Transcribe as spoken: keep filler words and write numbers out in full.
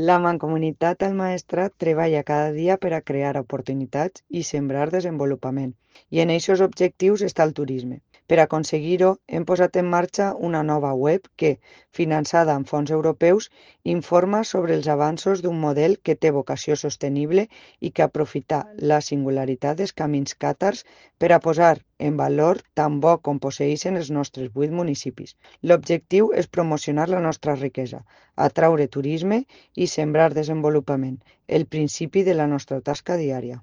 La Mancomunitat al Maestrat treballa cada dia per a crear oportunitats i sembrar desenvolupament, i en eixos objectius està el turisme. Per aconseguir-ho, hem posat en marxa una nova web que, finançada amb fons europeus, informa sobre els avanços d'un model que té vocació sostenible i que aprofita la singularitat dels camins càtars per a posar en valor tan bo com posseeixen els nostres vuit municipis. L'objectiu és promocionar la nostra riquesa, atraure turisme i sembrar desenvolupament, el principi de la nostra tasca diària.